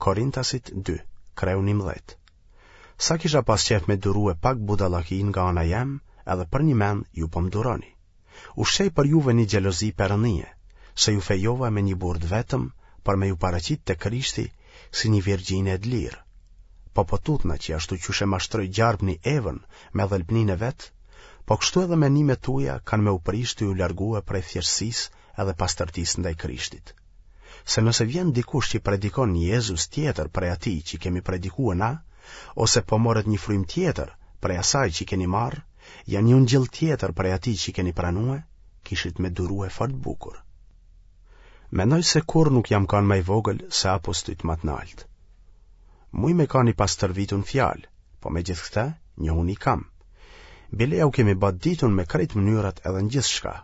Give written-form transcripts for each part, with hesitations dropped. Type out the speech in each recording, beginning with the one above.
Korintasit 2, kreu 11. Sa kisha pas qejf me durue pak budallaki nga ana jem, edhe përnjëmend ju po më duroni. Ushqej për juve një xhelozi perëndie, se ju fejova me një burrë të vetëm për me ju paraqit te Krishti si një virgjine e dlirë. Po po tutna që ashtu qysh e mashtroi gjarpni Evën me dhelpninë e vet, po kështu edhe menimet tuja kanë me u prish tu ju largue prej thjeshtësisë edhe pastërtisë ndaj Krishtit. Se nëse vjen dikush që predikon një Jezus tjetër prej atij që kemi predikue na, ose po morët një frymë tjetër prej asaj që keni marrë, ja një ungjill tjetër prej atij që keni pranue, kishit me durue fort bukur. Mendoj se kurrë nuk jam kanë ma i vogël se apostujt ma të naltë. Muj me kanë i pastërvitun n'fjalë, po megjithëkëtë, njohuni kam. Bile jau kemi ba ditun me krejt mënyrat edhe në gjithçka.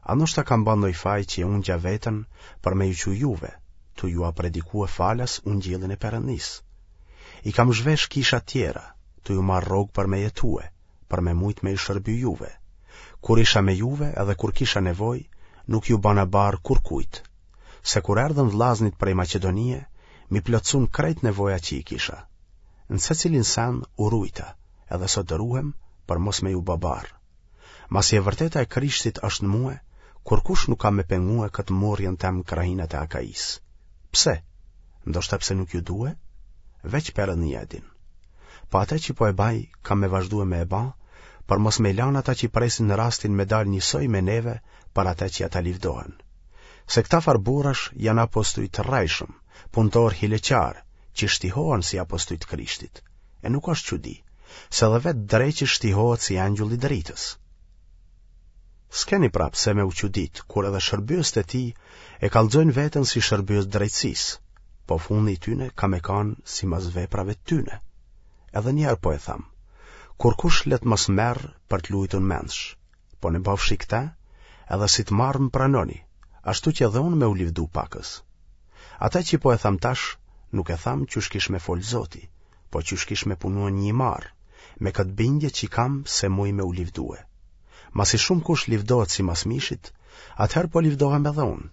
A ndoshta kam ba ndoj faj që e ungja veten për me ju çu juve, tu jua predikue falas ungjillin e Perëndisë. I kam zhvesh kishat tjera, tu ju marrë rrogë për me jetue, për me mujt me ju shërby juve. Kur isha me juve edhe kur kisha nevojë, nuk ju bana barrë kurkujt. Se kur erdhën vllaznit prej Maqedonie, m'i plotësun krejt nevojat që i kisha. Në secilin sen u rujta, edhe sot ruhem për mos me ju ba barrë. Masi e vërteta e Krishtit është në mue, kurkush nuk ka me pengue këtë murrjen tem në krahinat e Akaisë. Pse? Ndoshta pse nuk ju due? Veç Perëndia e din. Po atë që po e baj, kam me vazhdue me e ba, për mos me i lanë ata që presin rastin me dalë njësoj me neve për atë që ata livdohen. Se këta farë burrash janë apostuj të rrejshëm, punëtorë hileqarë, që shtihohen si apostuj të Krishtit. E nuk është çudi, se edhe vetë dreqi shtihohet si engjull i dritës. S'keni pra pse me u çudit, kur edhe shërbyesit e tij e kallxojnë veten si shërbyes të drejtësisë, po fundi i tyne ka me kanë simas veprave të tyne. Edhe një herë po e tham, kurkush le të mos merr për të lujtun mendsh, po në bofshi këta, edhe si të marrë më pranoni, ashtu që edhe unë me u livdu pakës. Ata që po e tham tash, nuk e tham qysh kish me fol Zoti, po qysh kish me punue një i marrë, me këtë bindje që kam se muj me u livdue. Masi shumëkush livdohet simas mishit, atëherë po livdohem edhe unë,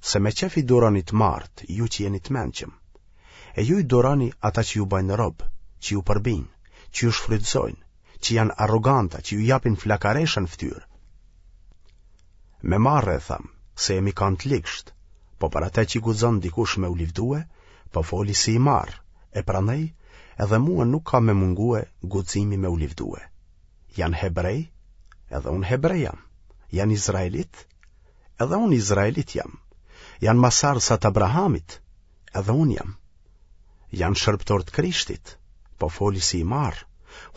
se me qef i duroni të marrët, ju që jeni të mençëm. E ju i duroni ata që ju bajnë rob, që ju përbijnë, që ju shfrytëzojnë, që janë arroganta, që ju japin flakaresha në fytyrë. Me marre e tham, se jemi kanë të ligsht, po për atë që guxon dikush me u livdue, po foli si i marrë, e prandaj edhe mua nuk ka me mungue guximi me u livdue. Janë hebrej, edhe unë hebrej jam. Janë izraelit, edhe unë izraelit jam. Janë masardhësa të Abrahamit, edhe unë jam. Janë shërbëtorë të Krishtit, po foli si i marrë.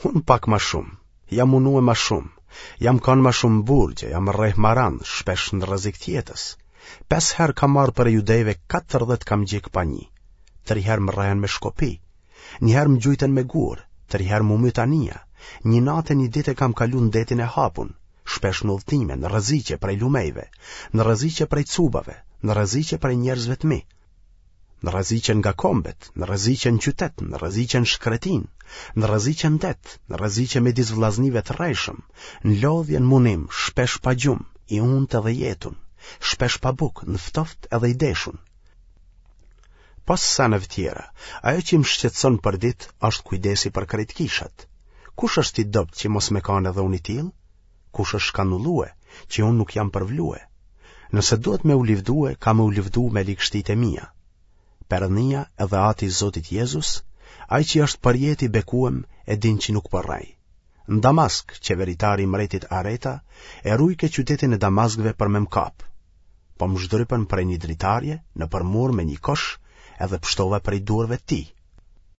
Unë pak ma shumë, jam munue ma shumë, jam kanë ma shumë n'burgje, jam rreh ma randë, shpesh në rrezik të jetës. Pesë herë kam marrë prej judejve 40 kamxhik pa një. Tri herë më rrehen me shkopi. Një herë më gjujtën me gurë, tri herë m'u myt anija. Një natë e një ditë e kam kalu në detin e hapun, shpesh në udhëtime, në rreziqe prej lumejve, në rreziqe prej cubave, në rreziqe prej njerëzve të mi, në rreziqe nga kombet, në rreziqe në qytet, në rreziqe në shkretinë, në rreziqe në det, në rreziqe midis vllaznive të rrejshëm, në lodhje në munim, shpesh pa gjumë, i untë edhe i etun, shpesh pa bukë, në ftoftë edhe i deshun. Pos seneve tjera, ajo që më shqetëson përditë është kujdesi për krejt kishat. Kush është i dobët që mos me kanë edhe unë i tillë? Kush është shkanullue, që unë nuk jam përvlue? Nëse duhet me u livdue, kam me u livdu me ligështitë e mia. Perëndia edhe Ati i Zotit Jezus, ai që është përjetë i bekuem e din që nuk po rrej. Në Damask, qeveritari i mbretit Areta, e rujke qytetin e Damaskëve për me më kapë. Po më zhdrypën prej një dritarje, nëpër mur me një kosh, edhe pshtova prej duarve të tij.